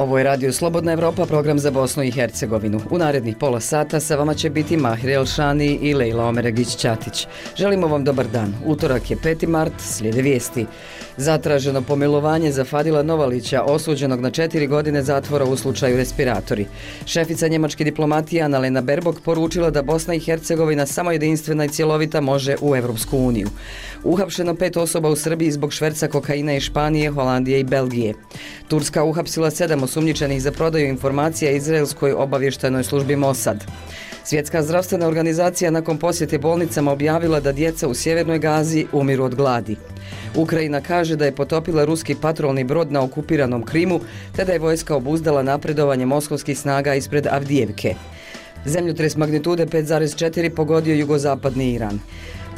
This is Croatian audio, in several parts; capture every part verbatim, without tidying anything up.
Ovo je Radio Slobodna Evropa, program za Bosnu i Hercegovinu. U narednih pola sata sa vama će biti Mahir Elšani i Lejla Omeregić-Ćatić. Želimo vam dobar dan. Utorak je peti mart, slijede vijesti. Zatraženo pomilovanje za Fadila Novalića, osuđenog na četiri godine zatvora u slučaju respiratori. Šefica njemačke diplomatije Annalena Baerbock poručila da Bosna i Hercegovina samo jedinstvena i cjelovita može u Evropsku uniju. Uhapšeno pet osoba u Srbiji zbog šverca kokaina iz Španije, Holandije i Belgije. Turska uhapsila sedam osumnjičenih za prodaju informacija izraelskoj obavještajnoj službi Mossad. Svjetska zdravstvena organizacija nakon posjete bolnicama objavila da djeca u sjevernoj Gazi umiru od gladi. Ukrajina kaže da je potopila ruski patrolni brod na okupiranom Krimu, te da je vojska obuzdala napredovanje moskovskih snaga ispred Avdijevke. Zemljotres magnitude pet zarez četiri pogodio jugozapadni Iran.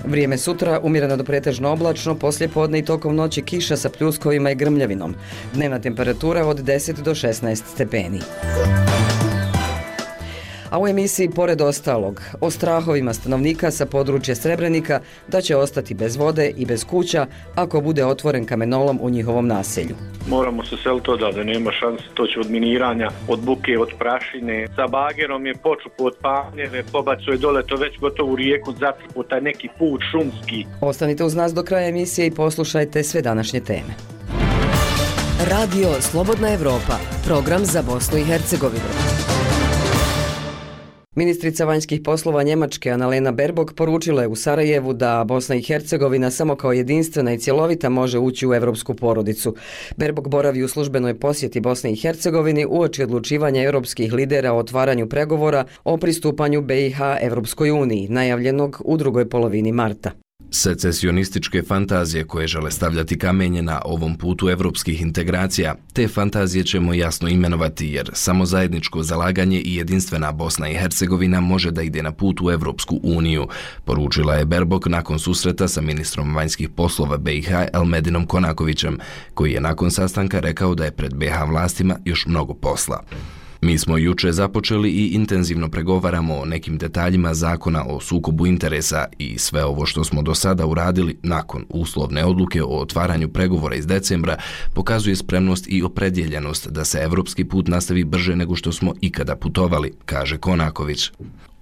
Vrijeme sutra umjereno do pretežno oblačno, poslije podne i tokom noći kiša sa pljuskovima i grmljavinom. Dnevna temperatura od deset do šesnaest stepeni. A u emisiji pored ostalog o strahovima stanovnika sa područja Srebrenika da će ostati bez vode i bez kuća ako bude otvoren kamenolom u njihovom naselju. Moramo se seliti odavde, nema šanse, to će od miniranja, od buke, od prašine. Sa bagerom je počupo od Panjeve, pobacuje dole to već gotovo u rijeku, začupo taj neki put šumski. Ostanite uz nas do kraja emisije i poslušajte sve današnje teme. Radio Slobodna Evropa, program za Bosnu i Hercegovinu. Ministrica vanjskih poslova Njemačke Annalena Baerbock poručila je u Sarajevu da Bosna i Hercegovina samo kao jedinstvena i cjelovita može ući u evropsku porodicu. Baerbock boravi u službenoj posjeti Bosne i Hercegovini uoči odlučivanja europskih lidera o otvaranju pregovora o pristupanju be i ha Evropskoj uniji, najavljenog u drugoj polovini marta. Secesionističke fantazije koje žele stavljati kamenje na ovom putu evropskih integracija, te fantazije ćemo jasno imenovati jer samo zajedničko zalaganje i jedinstvena Bosna i Hercegovina može da ide na put u Evropsku uniju, poručila je Baerbock nakon susreta sa ministrom vanjskih poslova be i ha Elmedinom Konakovićem, koji je nakon sastanka rekao da je pred be i ha vlastima još mnogo posla. Mi smo juče započeli i intenzivno pregovaramo o nekim detaljima zakona o sukobu interesa i sve ovo što smo do sada uradili nakon uslovne odluke o otvaranju pregovora iz decembra pokazuje spremnost i opredjeljenost da se evropski put nastavi brže nego što smo ikada putovali, kaže Konaković.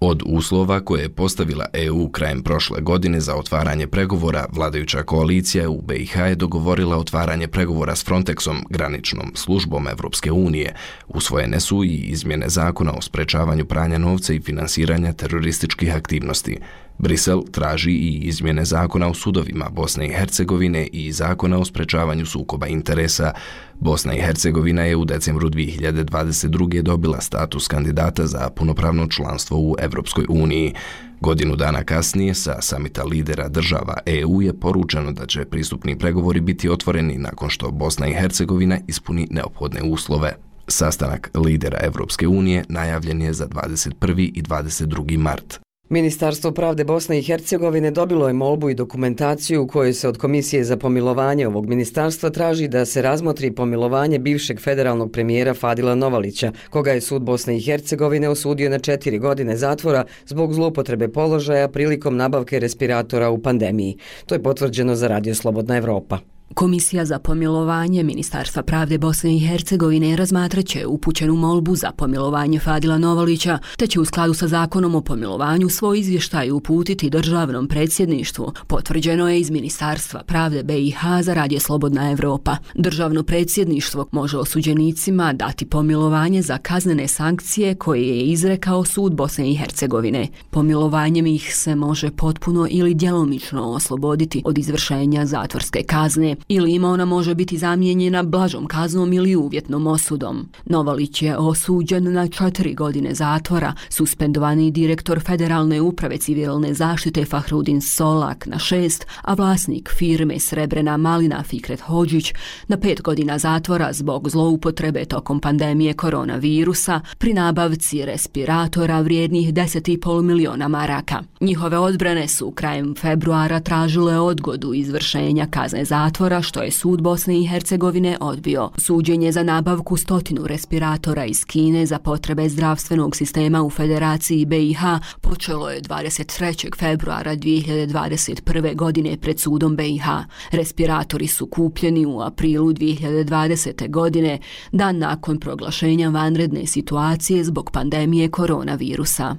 Od uslova koje je postavila e u krajem prošle godine za otvaranje pregovora, vladajuća koalicija u be i ha je dogovorila otvaranje pregovora s Frontexom, graničnom službom Evropske unije. Usvojene su i izmjene zakona o sprečavanju pranja novca i finansiranja terorističkih aktivnosti. Brisel traži i izmjene zakona o sudovima Bosne i Hercegovine i zakona o sprečavanju sukoba interesa. Bosna i Hercegovina je u decembru dvije hiljade dvadeset druge. dobila status kandidata za punopravno članstvo u Evropskoj uniji. Godinu dana kasnije sa samita lidera država e u je poručeno da će pristupni pregovori biti otvoreni nakon što Bosna i Hercegovina ispuni neophodne uslove. Sastanak lidera Evropske unije najavljen je za dvadeset prvi i dvadeset drugi mart. Ministarstvo pravde Bosne i Hercegovine dobilo je molbu i dokumentaciju u kojoj se od Komisije za pomilovanje ovog ministarstva traži da se razmotri pomilovanje bivšeg federalnog premijera Fadila Novalića, koga je sud Bosne i Hercegovine osudio na četiri godine zatvora zbog zloupotrebe položaja prilikom nabavke respiratora u pandemiji. To je potvrđeno za Radio Slobodna Evropa. Komisija za pomilovanje Ministarstva pravde Bosne i Hercegovine razmatraće upućenu molbu za pomilovanje Fadila Novalića, te će u skladu sa zakonom o pomilovanju svoj izvještaj uputiti državnom predsjedništvu, potvrđeno je iz Ministarstva pravde be i ha za Radio Slobodna Evropa. Državno predsjedništvo može osuđenicima dati pomilovanje za kaznene sankcije koje je izrekao sud Bosne i Hercegovine. Pomilovanjem ih se može potpuno ili djelomično osloboditi od izvršenja zatvorske kazne, ili ima ona može biti zamijenjena blažom kaznom ili uvjetnom osudom. Novalić je osuđen na četiri godine zatvora, suspendovani direktor Federalne uprave civilne zaštite Fahrudin Solak na šest, a vlasnik firme Srebrena malina Fikret Hodžić na pet godina zatvora zbog zloupotrebe tokom pandemije koronavirusa pri nabavci respiratora vrijednih deset i pol miliona maraka. Njihove odbrane su krajem februara tražile odgodu izvršenja kazne zatvora zatvora, što je sud Bosne i Hercegovine odbio. Suđenje za nabavku stotinu respiratora iz Kine za potrebe zdravstvenog sistema u Federaciji B i H počelo je dvadeset trećeg februara dvije hiljade dvadeset prve. godine pred sudom B i H. Respiratori su kupljeni u aprilu dvije hiljade dvadesete. godine, dan nakon proglašenja vanredne situacije zbog pandemije koronavirusa.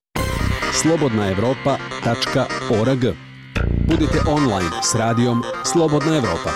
slobodna evropa tačka org. Budite online s radijom Slobodna Evropa.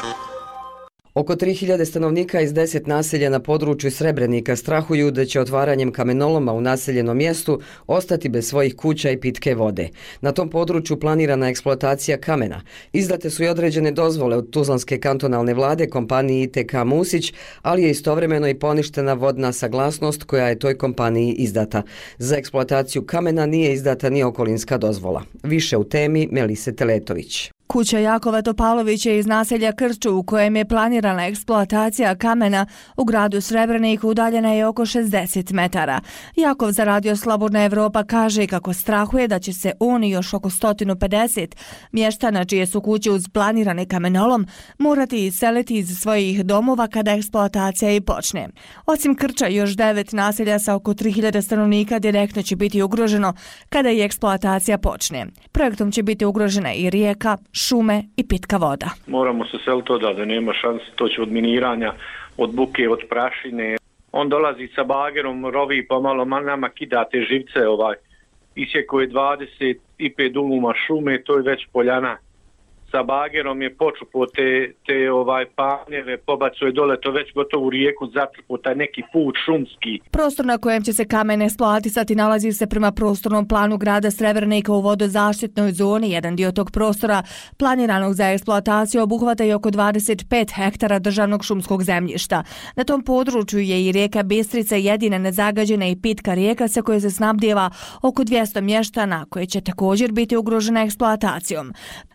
Oko tri hiljade stanovnika iz deset naselja na području Srebrenika strahuju da će otvaranjem kamenoloma u naseljenom mjestu ostati bez svojih kuća i pitke vode. Na tom području planirana eksploatacija kamena. Izdate su i određene dozvole od Tuzlanske kantonalne vlade kompaniji I T K Musić, ali je istovremeno i poništena vodna saglasnost koja je toj kompaniji izdata. Za eksploataciju kamena nije izdata ni okolinska dozvola. Više u temi Melise Teletović. Kuća Jakova Topalovića iz naselja Krču u kojem je planirana eksploatacija kamena u gradu Srebreniku udaljena je oko šezdeset metara. Jakov za Radio Slobodna Evropa kaže kako strahuje da će se on i još oko sto pedeset mještana čije su kuće uz planirane kamenolom morati iseliti iz svojih domova kada eksploatacija i počne. Osim Krča, još devet naselja sa oko tri hiljade stanovnika direktno će biti ugroženo kada i eksploatacija počne. Projektom će biti ugrožena i rijeka, šume i pitka voda. Moramo se seliti odavde, nema šanse, to će od miniranja, od buke, od prašine. On dolazi sa bagerom, rovi pa malo nama kida te živce, ovaj. Isjeko je dvadeset pet duluma šume, to je već poljana. Sa bagerom je počupo te, te ovaj panjeve, pobacuje dole, to već gotovo u rijeku zatrpo, taj neki put šumski. Prostor na kojem će se kamen eksploatisati nalazi se prema prostornom planu grada Srebrenika u vodozaštitnoj zoni. Jedan dio tog prostora planiranog za eksploataciju obuhvata i oko dvadeset pet hektara državnog šumskog zemljišta. Na tom području je i rijeka Bistrica, jedina nezagađena i pitka rijeka sa koje se snabdijeva oko dvjesto mještana, koje će također biti ugrožena eksploatacijom.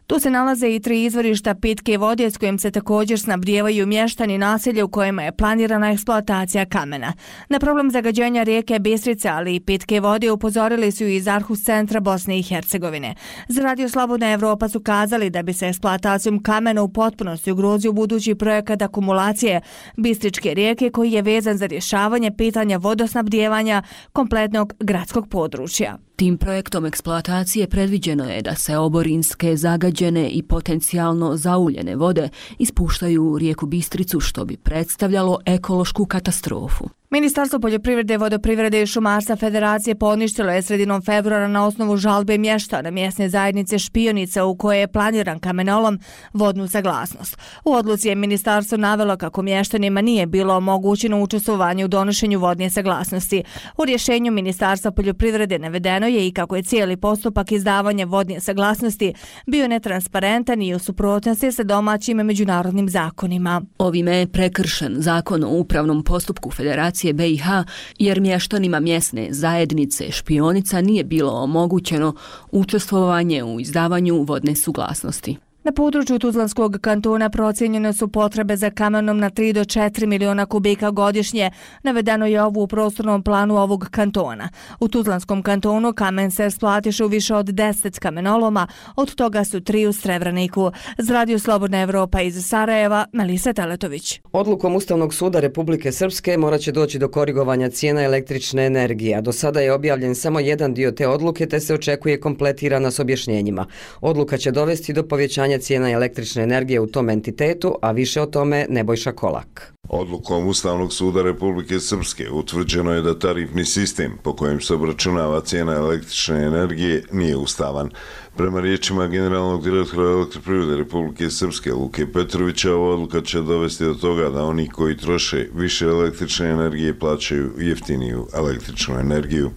Tu se nalaze i tri izvorišta pitke vode s kojim se također snabdijevaju mještani naselja u kojima je planirana eksploatacija kamena. Na problem zagađenja rijeke Bistrice, ali i pitke vode upozorili su iz Arhus centra Bosne i Hercegovine. Za Radio Slobodna Evropa su kazali da bi se eksploatacijom kamena u potpunosti ugrozio budući projekat akumulacije Bistričke rijeke koji je vezan za rješavanje pitanja vodosnabdijevanja kompletnog gradskog područja. Tim projektom eksploatacije predviđeno je da se oborinske, zagađene i potencijalno zauljene vode ispuštaju u rijeku Bistricu, što bi predstavljalo ekološku katastrofu. Ministarstvo poljoprivrede, vodoprivrede i šumarstva Federacije poništilo je sredinom februara na osnovu žalbe mještana mjesne zajednice Špionica u kojoj je planiran kamenolom vodnu saglasnost. U odluci je ministarstvo navelo kako mještanima nije bilo omogućeno učestvovanje u donošenju vodne saglasnosti. U rješenju Ministarstva poljoprivrede navedeno je i kako je cijeli postupak izdavanja vodne saglasnosti bio netransparentan i u suprotnosti sa domaćim i međunarodnim zakonima. Ovime je prekršen zakon o upravnom postupku Federacije B i H jer mještanima mjesne zajednice Špionica nije bilo omogućeno učestvovanje u izdavanju vodne suglasnosti. Na području Tuzlanskog kantona procijenjene su potrebe za kamenom na tri do četiri miliona kubika godišnje. Navedeno je ovo u prostornom planu ovog kantona. U Tuzlanskom kantonu kamen se eksploatiše u više od deset kamenoloma, od toga su tri u Srebreniku. Za Radio Slobodna Evropa iz Sarajeva, Melisa Teletović. Odlukom Ustavnog suda Republike Srpske morat će doći do korigovanja cijena električne energije. Do sada je objavljen samo jedan dio te odluke, te se očekuje kompletirana s objašnjenjima. Odluka će dovesti do povećanja cijena električne energije u tom entitetu, a više o tome Nebojša Kolak. Odlukom Ustavnog suda Republike Srpske utvrđeno je da tarifni sistem po kojem se obračunava cijena električne energije nije ustavan. Prema riječima generalnog direktora Elektroprivrede Republike Srpske Luke Petrovića, ova odluka će dovesti do toga da oni koji troše više električne energije plaćaju jeftiniju električnu energiju.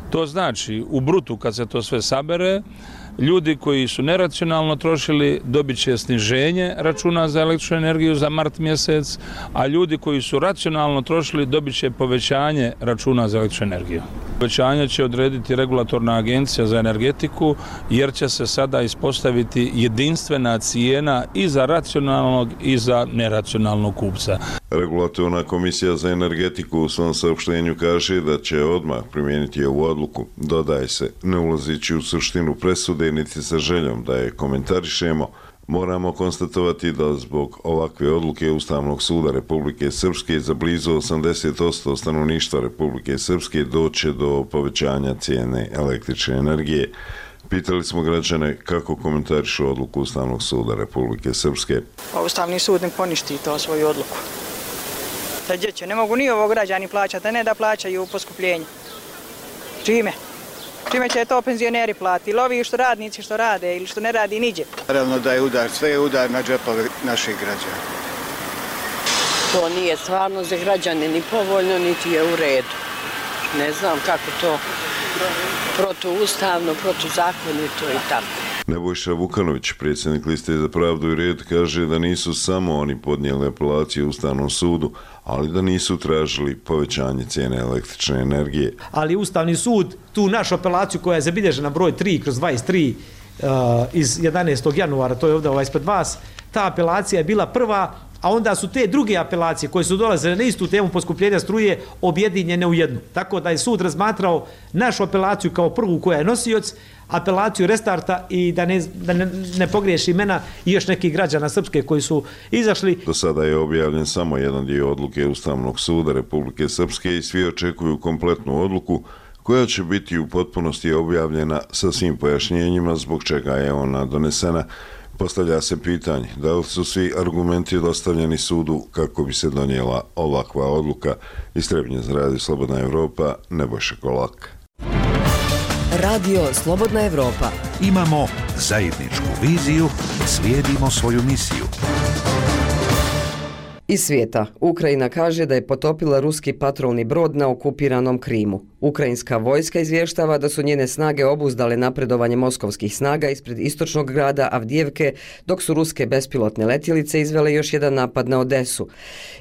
To znači, u brutu kad se to sve sabere, ljudi koji su neracionalno trošili dobit će sniženje računa za električnu energiju za mart mjesec, a ljudi koji su racionalno trošili dobit će povećanje računa za električnu energiju. Povećanje će odrediti regulatorna agencija za energetiku jer će se sada ispostaviti jedinstvena cijena i za racionalnog i za neracionalnog kupca. Regulatorna komisija za energetiku u svom saopštenju kaže da će odmah primijeniti ovu odluku. Dodaje se, ne ulazići u suštinu presude niti sa željom da je komentarišemo, Moramo konstatovati da zbog ovakve odluke Ustavnog suda Republike Srpske za blizu osamdeset posto stanovništva Republike Srpske doće do povećanja cijene električne energije. Pitali smo građane kako komentarišu odluku Ustavnog suda Republike Srpske. Ustavni sud ne poništi to svoju odluku. Gdje će? Ne mogu ni ovo građani plaćati, a ne da plaćaju poskupljenje. Čime? Čime će to penzioneri platiti? Ili ovi što radnici što rade ili što ne radi niđe? Naravno da je udar, sve je udar na džepove naših građana. To nije stvarno za građane ni povoljno, niti je u redu. Ne znam kako to protuustavno, protuzakonito i tako. Nebojša Vukanović, predsjednik Liste za pravdu i red, kaže da nisu samo oni podnijeli apelaciju Ustavnom sudu, ali da nisu tražili povećanje cijene električne energije. Ali Ustavni sud tu našu apelaciju koja je zabilježena broj tri kroz dvadeset tri uh, iz jedanaestog januara, to je ovdje ovaj ispred vas, ta apelacija je bila prva, a onda su te druge apelacije koje su dolazile na istu temu poskupljenja struje objedinjene u jednu. Tako da je sud razmatrao našu apelaciju kao prvu koja je nosioc, apelaciju restarta i da ne, da ne, ne pogriješi imena i još nekih građana Srpske koji su izašli. Do sada je objavljen samo jedan dio odluke Ustavnog suda Republike Srpske i svi očekuju kompletnu odluku koja će biti u potpunosti objavljena sa svim pojašnjenjima zbog čega je ona donesena. Postavlja se pitanje da li su svi argumenti dostavljeni sudu kako bi se donijela ovakva odluka. Iz Trebinja za Radio Slobodna Evropa, Nebojša Kolak. Radio Slobodna Evropa. Imamo zajedničku viziju, slijedimo svoju misiju. Iz svijeta, Ukrajina kaže da je potopila ruski patrolni brod na okupiranom Krimu. Ukrajinska vojska izvještava da su njene snage obuzdale napredovanje moskovskih snaga ispred istočnog grada Avdijevke, dok su ruske bespilotne letjelice izvele još jedan napad na Odesu.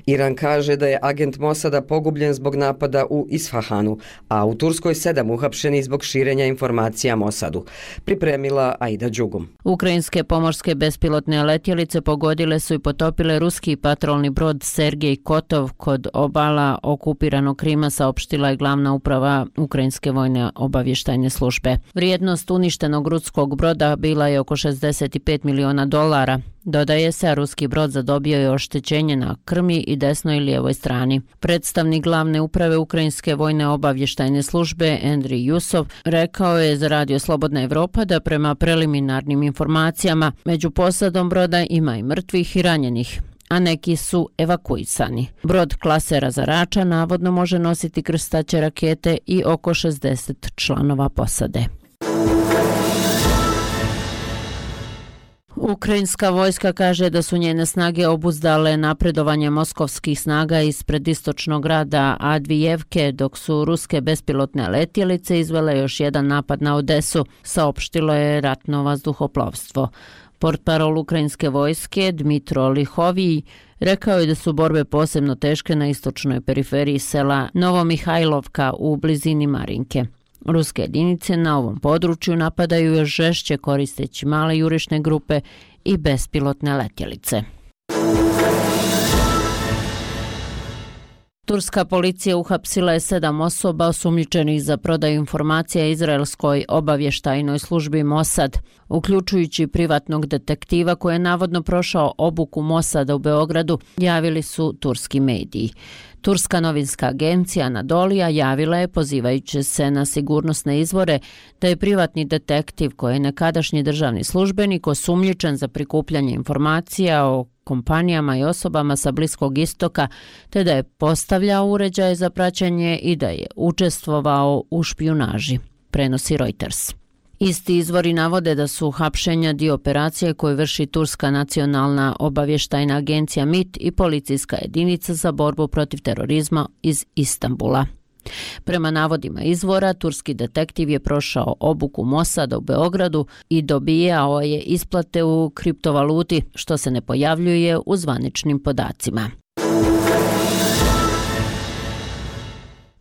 Iran kaže da je agent Mosada pogubljen zbog napada u Isfahanu, a u Turskoj sedam uhapšenih zbog širenja informacija Mosadu. Pripremila Aida Đugum. Ukrajinske pomorske bespilotne letjelice pogodile su i potopile ruski patrolni brod Sergej Kotov kod obala okupiranog Krima, saopštila je glavna uprava Ukrajinske vojne obavještajne službe. Vrijednost uništenog ruskog broda bila je oko šezdeset pet miliona dolara. Dodaje se, a ruski brod zadobio je oštećenje na krmi i desnoj i lijevoj strani. Predstavnik glavne uprave Ukrajinske vojne obavještajne službe Andrij Jusov rekao je za Radio Slobodna Evropa da prema preliminarnim informacijama među posadom broda ima i mrtvih i ranjenih, a neki su evakuisani. Brod klase razarača navodno može nositi krstaće rakete i oko šezdeset članova posade. Ukrajinska vojska kaže da su njene snage obuzdale napredovanje moskovskih snaga ispred istočnog grada Avdijevke, dok su ruske bespilotne letjelice izvele još jedan napad na Odesu, saopštilo je ratno vazduhoplovstvo. Portparol ukrajinske vojske Dmitro Lihovij rekao je da su borbe posebno teške na istočnoj periferiji sela Novomihajlovka u blizini Marinke. Ruske jedinice na ovom području napadaju još žešće koristeći male jurišne grupe i bespilotne letjelice. Turska policija uhapsila je sedam osoba osumnjičenih za prodaju informacija izraelskoj obavještajnoj službi Mossad, uključujući privatnog detektiva koji je navodno prošao obuku Mossada u Beogradu, javili su turski mediji. Turska novinska agencija Anadolija javila je, pozivajući se na sigurnosne izvore, da je privatni detektiv koji je nekadašnji državni službenik osumnjičen za prikupljanje informacija o kompanijama i osobama sa Bliskog istoka, te da je postavljao uređaje za praćenje i da je učestvovao u špijunaži, prenosi Reuters. Isti izvori navode da su hapšenja dio operacije koje vrši Turska nacionalna obavještajna agencija M I T i policijska jedinica za borbu protiv terorizma iz Istanbula. Prema navodima izvora, turski detektiv je prošao obuku Mossada u Beogradu i dobijao je isplate u kriptovaluti, što se ne pojavljuje u zvaničnim podacima.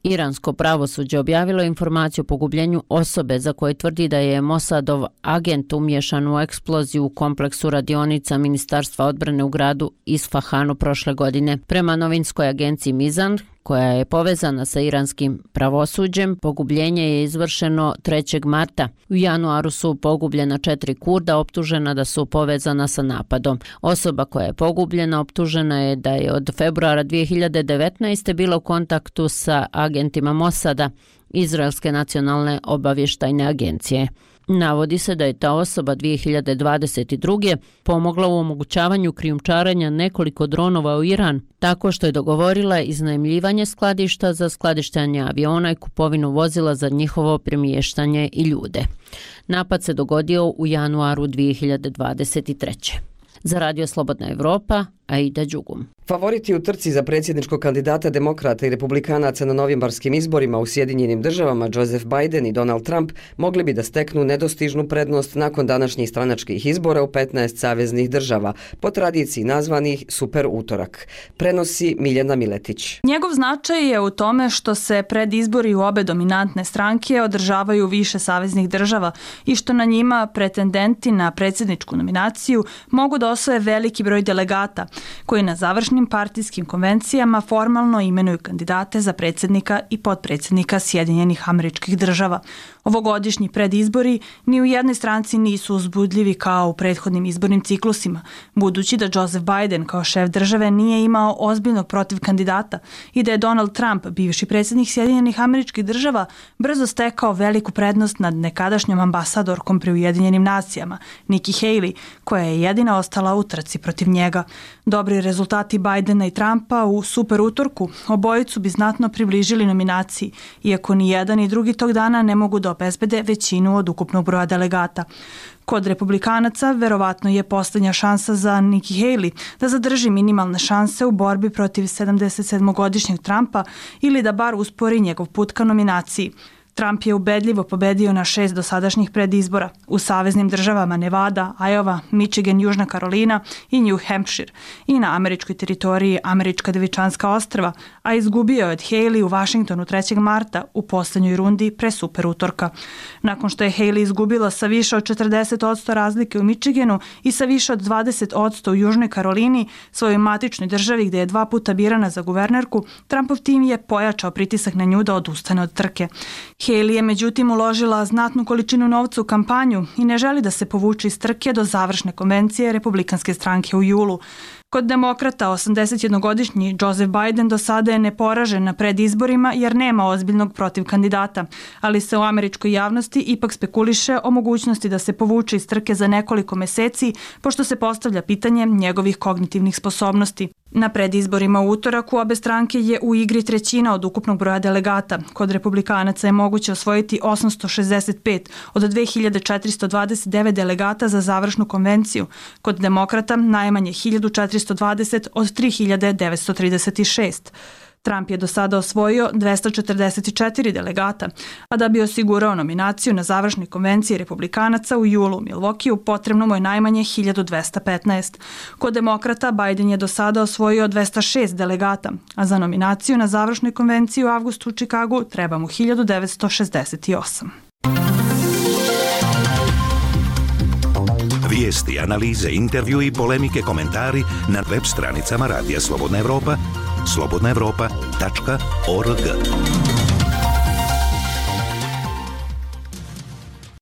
Iransko pravosuđe objavilo informaciju o pogubljenju osobe za koje tvrdi da je Mossadov agent umješan u eksploziju u kompleksu radionica Ministarstva odbrane u gradu Isfahanu prošle godine. Prema novinskoj agenciji Mizan, koja je povezana sa iranskim pravosuđem. Pogubljenje je izvršeno trećeg marta. U januaru su pogubljena četiri Kurda optužena da su povezana sa napadom. Osoba koja je pogubljena optužena je da je od februara dvije hiljade devetnaeste bila u kontaktu sa agentima Mosada, Izraelske nacionalne obavještajne agencije. Navodi se da je ta osoba dvije hiljade dvadeset druge pomogla u omogućavanju krijumčarenja nekoliko dronova u Iran, tako što je dogovorila iznajmljivanje skladišta za skladištanje aviona i kupovinu vozila za njihovo premještanje i ljude. Napad se dogodio u januaru dvije hiljade dvadeset treće. Za Radio Slobodna Evropa, Aida Đugum. Favoriti u trci za predsjedničkog kandidata demokrata i republikanaca na novembarskim izborima u Sjedinjenim državama Joseph Biden i Donald Trump mogli bi da steknu nedostižnu prednost nakon današnjih stranačkih izbora u petnaest saveznih država, po tradiciji nazvanih Super utorak. Prenosi Miljana Miletić. Njegov značaj je u tome što se pred izbori u obe dominantne stranke održavaju više saveznih država i što na njima pretendenti na predsjedničku nominaciju mogu da osvoje veliki broj delegata, koji na završnim partijskim konvencijama formalno imenuju kandidate za predsjednika i potpredsjednika Sjedinjenih Američkih Država. Ovogodišnji predizbori ni u jednoj stranci nisu uzbudljivi kao u prethodnim izbornim ciklusima, budući da Joseph Biden kao šef države nije imao ozbiljnog protiv kandidata i da je Donald Trump, bivši predsjednik Sjedinjenih Američkih Država, brzo stekao veliku prednost nad nekadašnjom ambasadorkom pri Ujedinjenim nacijama, Nikki Haley, koja je jedina ostala u trci protiv njega. Dobri rezultati Bidena i Trumpa u super utorku obojicu bi znatno približili nominaciji, iako ni jedan ni drugi tog dana ne mogu da obezbede većinu od ukupnog broja delegata. Kod republikanaca verovatno je posljednja šansa za Nikki Haley da zadrži minimalne šanse u borbi protiv sedamdesetsedmogodišnjeg Trumpa ili da bar uspori njegov put ka nominaciji. Trump je ubedljivo pobedio na šest dosadašnjih predizbora u saveznim državama Nevada, Iowa, Michigan, Južna Karolina i New Hampshire i na američkoj teritoriji Američka Devičanska ostrva, a izgubio je od Haley u Washingtonu trećeg marta u posljednjoj rundi pre super utorka. Nakon što je Haley izgubila sa više od četrdeset posto razlike u Michiganu i sa više od dvadeset posto u Južnoj Karolini, svojoj matičnoj državi gdje je dva puta birana za guvernerku, Trumpov tim je pojačao pritisak na nju da odustane od trke. Haley je međutim uložila znatnu količinu novca u kampanju i ne želi da se povuče iz trke do završne konvencije Republikanske stranke u julu. Kod demokrata, osamdesetjednogodišnji Joseph Biden do sada je neporažen na predizborima jer nema ozbiljnog protiv kandidata, ali se u američkoj javnosti ipak spekuliše o mogućnosti da se povuče iz trke za nekoliko meseci, pošto se postavlja pitanje njegovih kognitivnih sposobnosti. Na predizborima u utorak u obe stranke je u igri trećina od ukupnog broja delegata. Kod republikanaca je moguće osvojiti osamsto šezdeset pet od dve hiljade četiristo dvadeset devet delegata za završnu konvenciju. Kod demokrata najmanje hiljadu četiristo dvadeset od tri hiljade devetsto trideset šest. Trump je do sada osvojio dvesta četrdeset četiri delegata, a da bi osigurao nominaciju na završnoj konvenciji republikanaca u julu u Milwaukeeu potrebno mu je najmanje hiljadu dvesta petnaest. Kod demokrata Biden je do sada osvojio dvesta šest delegata, a za nominaciju na završnoj konvenciji u avgustu u Čikagu treba mu hiljadu devetsto šezdeset osam. Vijesti, analize, intervju i polemike, komentari na web stranicama Radija Slobodna Evropa, slobodna evropa tačka org.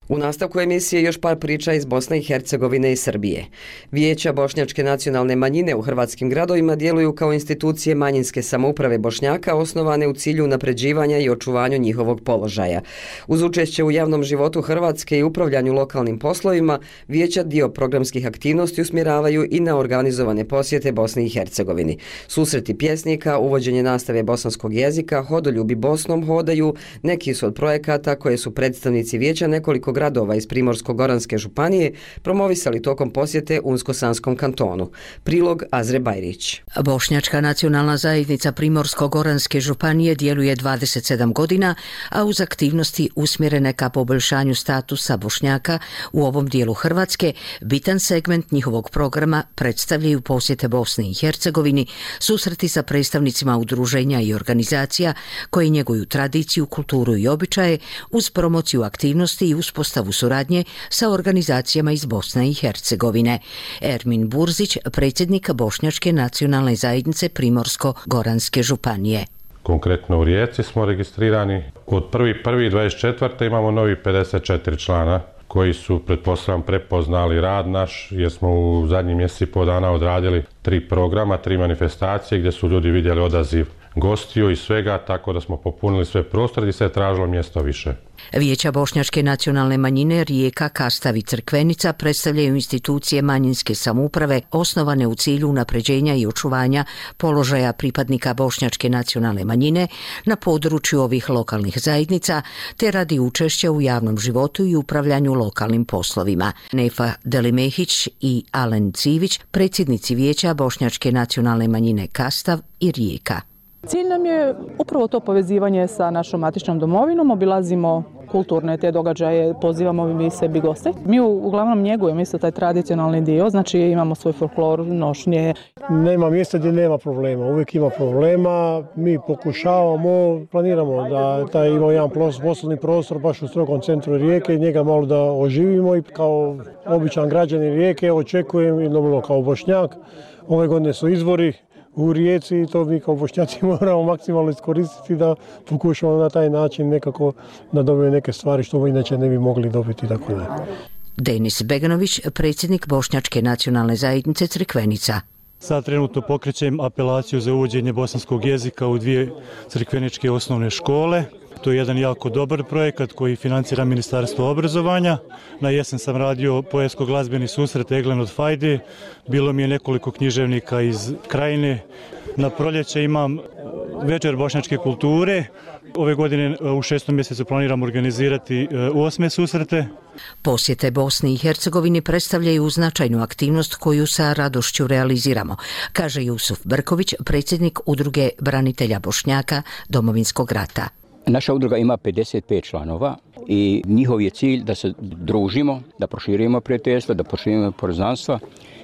U nastavku emisije još par priča iz Bosne i Hercegovine i Srbije. Vijeća bošnjačke nacionalne manjine u hrvatskim gradovima djeluju kao institucije manjinske samouprave Bošnjaka osnovane u cilju unapređivanja i očuvanju njihovog položaja. Uz učešće u javnom životu Hrvatske i upravljanju lokalnim poslovima, vijeća dio programskih aktivnosti usmjeravaju i na organizovane posjete Bosni i Hercegovini. Susreti pjesnika, uvođenje nastave bosanskog jezika, hodoljubi Bosnom hodaju, neki su od projekata koje su predstavnici vijeća nekoliko gradova iz Primorsko-goranske županije promovisali tokom posjete Unsko-Sanskom kantonu. Prilog Azre Bajrić. Bošnjačka nacionalna zajednica Primorsko-goranske županije djeluje dvadeset sedam godina, a uz aktivnosti usmjerene ka poboljšanju statusa Bošnjaka u ovom dijelu Hrvatske, bitan segment njihovog programa predstavljaju posjete Bosni i Hercegovini, susreti sa predstavnicima udruženja i organizacija koji njeguju tradiciju, kulturu i običaje uz promociju aktivnosti i uspostavu suradnje sa organizacijama iz Bosne i Hercegovine. Ermin Burzić, predsjednik Bošnjačke nacionalne zajednice Primorsko-goranske županije. Konkretno u Rijeci smo registrirani. Od prvi prvog dvadeset četvrte imamo novi pedeset četiri člana koji su, pretpostavljam, prepoznali rad naš, jer smo u zadnjih mjeseci i pol dana odradili tri programa, tri manifestacije gdje su ljudi vidjeli odaziv gostiju i svega, tako da smo popunili sve prostore i se je tražilo mjesto više. Vijeća Bošnjačke nacionalne manjine Rijeka, Kastav i Crkvenica predstavljaju institucije manjinske samouprave osnovane u cilju unapređenja i očuvanja položaja pripadnika Bošnjačke nacionalne manjine na području ovih lokalnih zajednica, te radi učešća u javnom životu i upravljanju lokalnim poslovima. Nefa Delimehić i Alen Civić, predsjednici Vijeća Bošnjačke nacionalne manjine Kastav i Rijeka. Cilj nam je upravo to povezivanje sa našom matičnom domovinom, obilazimo kulturne te događaje, pozivamo mi sebi goste. Mi uglavnom njegujemo isto taj tradicionalni dio, znači imamo svoj folklor, nošnje. Nema mjesta gdje nema problema, uvijek ima problema, mi pokušavamo, planiramo da taj ima jedan poslovni prostor baš u strogom centru Rijeke, njega malo da oživimo i kao običan građanin Rijeke očekujem i normalno kao Bošnjak, ove godine su izbori u Rijeci i to mi kao Bošnjaci moramo maksimalno iskoristiti da pokušamo na taj način nekako da dobijemo neke stvari što inače ne bi mogli dobiti. Tako da. Denis Beganović, predsjednik Bošnjačke nacionalne zajednice Crkvenica. Sad trenutno pokrećem apelaciju za uvođenje bosanskog jezika u dvije crkveničke osnovne škole. To je jedan jako dobar projekat koji financira Ministarstvo obrazovanja. Na jesen sam radio poetsko-glazbeni susret Eglen od Fajde. Bilo mi je nekoliko književnika iz Krajine. Na proljeće imam večer bošnjačke kulture. Ove godine u šestom mjesecu planiram organizirati osme susrete. Posjete Bosni i Hercegovini predstavljaju značajnu aktivnost koju sa radošću realiziramo, kaže Jusuf Brković, predsjednik Udruge branitelja Bošnjaka Domovinskog rata. Naša udruga ima pedeset pet članova i njihov je cilj da se družimo, da proširimo prijateljstvo, da proširimo poznanstva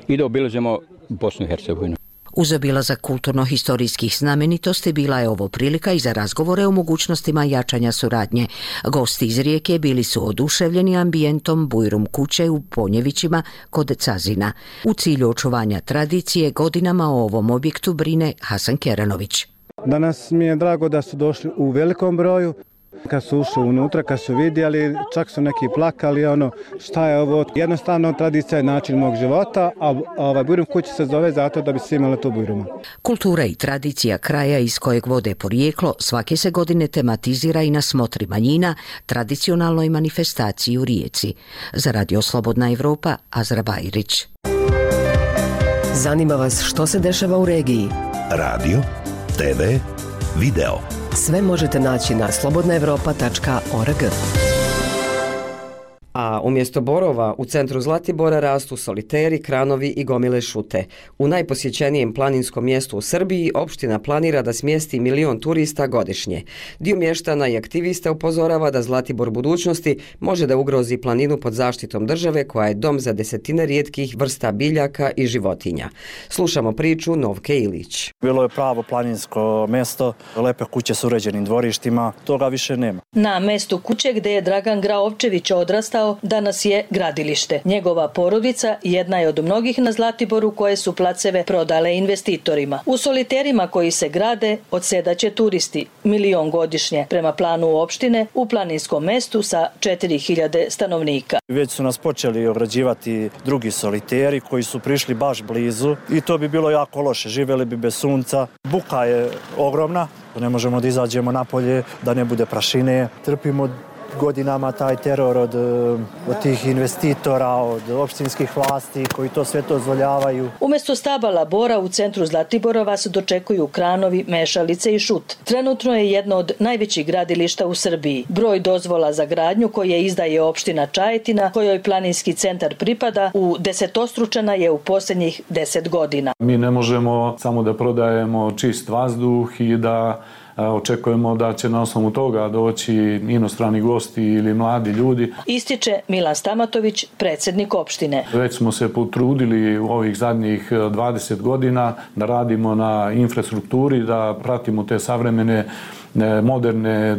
i da obilazimo Bosnu i Hercegovinu. Uz obilazak kulturno-historijskih znamenitosti bila je ovo prilika i za razgovore o mogućnostima jačanja suradnje. Gosti iz Rijeke bili su oduševljeni ambijentom Bujrum kuće u Ponjevićima kod Cazina. U cilju očuvanja tradicije godinama o ovom objektu brine Hasan Keranović. Danas mi je drago da su došli u velikom broju. Kad su ušli unutra, kad su vidjeli, čak su neki plakali, ono, šta je ovo? Jednostavno, tradicija je način mog života, a ovaj Bujrum kuća se zove zato da bi se imali tu Bujruma. Kultura i tradicija kraja iz kojeg vode porijeklo svake se godine tematizira i na smotri manjina, tradicionalnoj manifestaciji u Rijeci. Za Radio Slobodna Evropa, Azra Bajrić. Zanima vas što se dešava u regiji? Radio, te ve, video. Sve možete naći na slobodna evropa tačka org. A umjesto borova u centru Zlatibora rastu soliteri, kranovi i gomile šute. U najposjećenijem planinskom mjestu u Srbiji opština planira da smjesti milion turista godišnje. Dio mještana i aktivista upozorava da Zlatibor budućnosti može da ugrozi planinu pod zaštitom države koja je dom za desetine rijetkih vrsta biljaka i životinja. Slušamo priču Novke Ilić. Bilo je pravo planinsko mjesto, lepe kuće s uređenim dvorištima, toga više nema. Na mjestu kuće gdje je Dragan Graovčević odrastao danas je gradilište. Njegova porodica jedna je od mnogih na Zlatiboru koje su placeve prodale investitorima. U soliterima koji se grade odsedaće turisti, milion godišnje prema planu opštine u planinskom mestu sa četiri hiljade stanovnika. Već su nas počeli ograđivati drugi soliteri koji su prišli baš blizu i to bi bilo jako loše. Živjeli bi bez sunca. Buka je ogromna, ne možemo da izađemo napolje, da ne bude prašine. Trpimo godinama taj teror od, od tih investitora, od opštinskih vlasti koji to sve to dozvoljavaju. Umjesto stabala bora u centru Zlatibora vas dočekuju kranovi, mešalice i šut. Trenutno je jedno od najvećih gradilišta u Srbiji. Broj dozvola za gradnju koje izdaje opština Čajetina, kojoj planinski centar pripada, u desetostručena je u posljednjih deset godina. Mi ne možemo samo da prodajemo čist vazduh i da očekujemo da će na osnovu toga doći inostrani gosti ili mladi ljudi. Ističe Milan Stamatović, predsjednik opštine. Već smo se potrudili u ovih zadnjih dvadeset godina da radimo na infrastrukturi, da pratimo te savremene moderne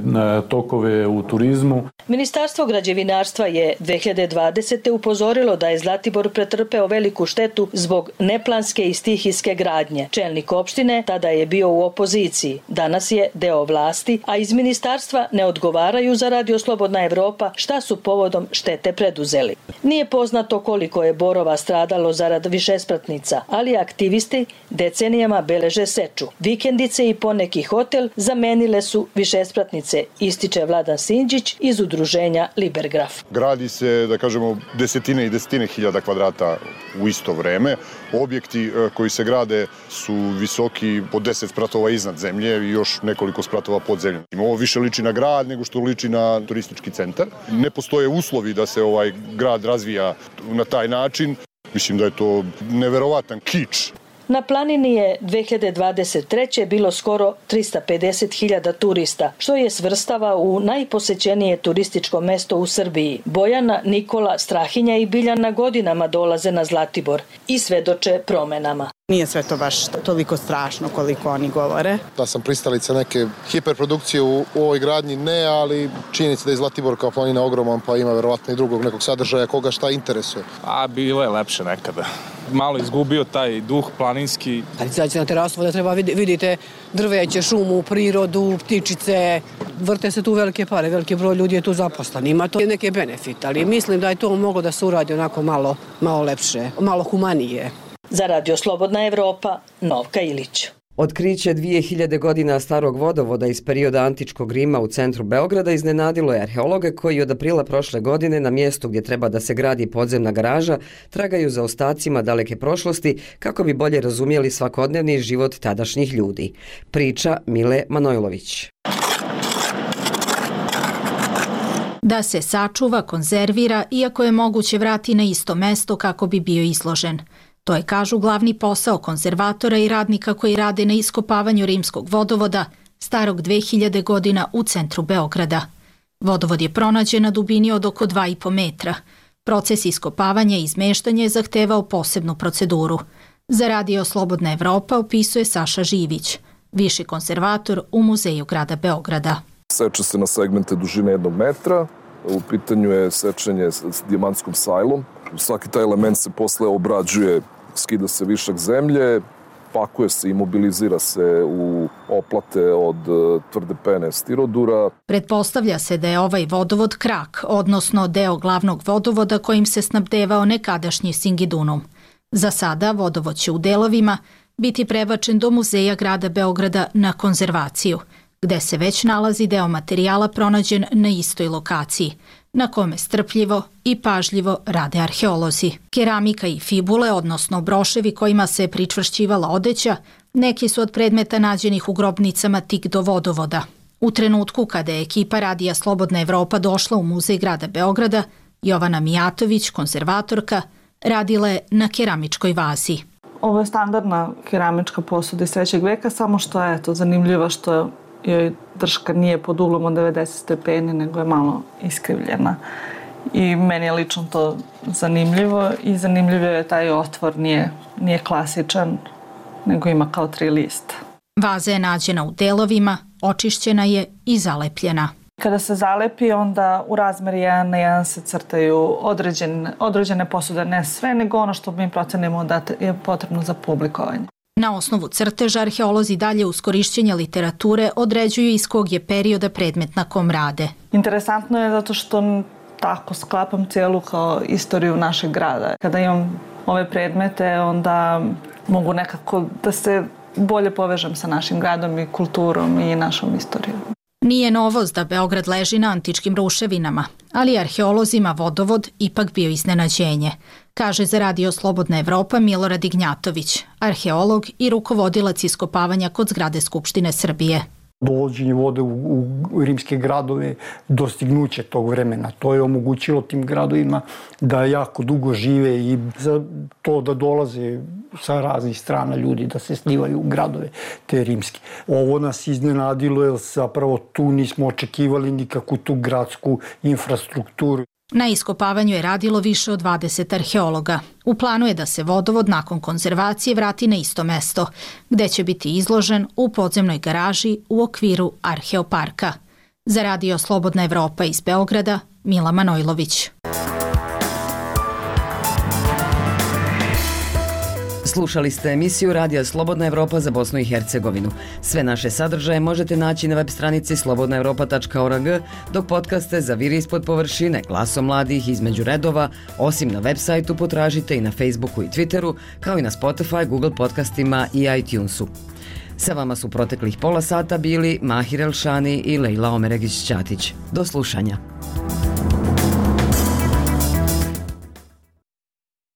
tokove u turizmu. Ministarstvo građevinarstva je dve hiljade dvadesete. upozorilo da je Zlatibor pretrpeo veliku štetu zbog neplanske i stihijske gradnje. Čelnik opštine tada je bio u opoziciji, danas je deo vlasti, a iz ministarstva ne odgovaraju za Radio Slobodna Evropa šta su povodom štete preduzeli. Nije poznato koliko je borova stradalo zarad višespratnica, ali aktivisti decenijama beleže seču. Vikendice i poneki hotel zamenile su višespratnice, ističe Vladan Sinđić iz udruženja Libergraf. Gradi se, da kažemo, desetine i desetine hiljada kvadrata u isto vreme. Objekti koji se grade su visoki po deset spratova iznad zemlje i još nekoliko spratova pod zemljom. Ovo više liči na grad nego što liči na turistički centar. Ne postoje uslovi da se ovaj grad razvija na taj način. Mislim da je to neverovatan kič. Na planini je dve hiljade dvadeset treće. bilo skoro trista pedeset hiljada turista, što je svrstava u najposećenije turističko mesto u Srbiji. Bojana, Nikola, Strahinja i Biljana godinama dolaze na Zlatibor i svedoče promenama. Nije sve to baš toliko strašno koliko oni govore. Da sam pristalica neke hiperprodukcije u, u ovoj gradnji, ne, ali činjenica da je Zlatibor kao planina ogroman, pa ima verovatno i drugog nekog sadržaja koga šta interesuje. A bilo je lepše nekada. Malo izgubio taj duh planinski. Kad izađete na terasu da treba vidite drveće, šumu, prirodu, ptičice, vrte se tu velike pare, veliki broj ljudi je tu zaposlen. Ima to neke benefite, ali mislim da je to moglo da se uradi onako malo, malo lepše, malo humanije. Za Radio Slobodna Evropa, Novka Ilić. Otkriće dvije hiljade godina starog vodovoda iz perioda antičkog Rima u centru Beograda iznenadilo je arheologe koji od aprila prošle godine na mjestu gdje treba da se gradi podzemna garaža tragaju za ostacima daleke prošlosti kako bi bolje razumjeli svakodnevni život tadašnjih ljudi. Priča Mile Manojlović. Da se sačuva, konzervira, iako je moguće vrati na isto mesto kako bi bio izložen. To je, kažu, glavni posao konzervatora i radnika koji rade na iskopavanju rimskog vodovoda, starog dve hiljade godina u centru Beograda. Vodovod je pronađen na dubini od oko dva i po metra. Proces iskopavanja i izmeštanja je zahtevao posebnu proceduru. Za Radio Slobodna Evropa opisuje Saša Živić, viši konzervator u Muzeju grada Beograda. Seče se na segmente dužine jednog metra. U pitanju je sečenje s dijamantskom sajlom. Svaki taj element se posle obrađuje, skida se višak zemlje, pakuje se i mobilizira se u oplate od tvrde pene stirodura. Pretpostavlja se da je ovaj vodovod krak, odnosno deo glavnog vodovoda kojim se snabdevao nekadašnji Singidunum. Za sada vodovod će u delovima biti prebačen do Muzeja grada Beograda na konzervaciju, gde se već nalazi deo materijala pronađen na istoj lokaciji, na kome strpljivo i pažljivo rade arheolozi. Keramika i fibule, odnosno broševi kojima se pričvršćivala odeća, neki su od predmeta nađenih u grobnicama tik do vodovoda. U trenutku kada je ekipa Radija Slobodna Evropa došla u Muzej grada Beograda, Jovana Mijatović, konzervatorka, radila je na keramičkoj vazi. Ovo je standardna keramička posuda iz trećeg veka, samo što je to zanimljivo što joj drška nije pod uglom od devedeset stepeni, nego je malo iskrivljena. I meni je lično to zanimljivo i zanimljivo je taj otvor, nije, nije klasičan, nego ima kao tri lista. Vaza je nađena u delovima, očišćena je i zalepljena. Kada se zalepi, onda u razmeri jedan na jedan se crtaju određene, određene posude, ne sve, nego ono što mi procenimo da je potrebno za publikovanje. Na osnovu crteža arheolozi dalje uz korišćenje literature određuju iz kog je perioda predmet na kom rade. Interesantno je zato što tako sklapam cijelu kao istoriju našeg grada. Kada imam ove predmete, onda mogu nekako da se bolje povežem sa našim gradom i kulturom i našom istorijom. Nije novost da Beograd leži na antičkim ruševinama, ali arheolozima vodovod ipak bio iznenađenje, kaže za Radio Slobodna Evropa Milorad Ignjatović, arheolog i rukovodilac iskopavanja kod zgrade Skupštine Srbije. Dovođenje vode u, u rimske gradove, dostignuće tog vremena. To je omogućilo tim gradovima da jako dugo žive i za to da dolaze sa raznih strana ljudi da se slivaju u gradove te rimske. Ovo nas iznenadilo jer zapravo tu nismo očekivali nikakvu tu gradsku infrastrukturu. Na iskopavanju je radilo više od dvadeset arheologa. U planu je da se vodovod nakon konzervacije vrati na isto mesto, gde će biti izložen u podzemnoj garaži u okviru Arheoparka. Za Radio Slobodna Evropa iz Beograda, Mila Manojlović. Slušali ste emisiju Radija Slobodna Evropa za Bosnu i Hercegovinu. Sve naše sadržaje možete naći na web stranici slobodna evropa tačka org, dok podcaste za Viri ispod površine, Glasom mladih, Između redova, osim na web sajtu potražite i na Facebooku i Twitteru, kao i na Spotify, Google podcastima i iTunesu. Sa vama su proteklih pola sata bili Mahir Elšani i Lejla Omeregić-Ćatić. Do slušanja.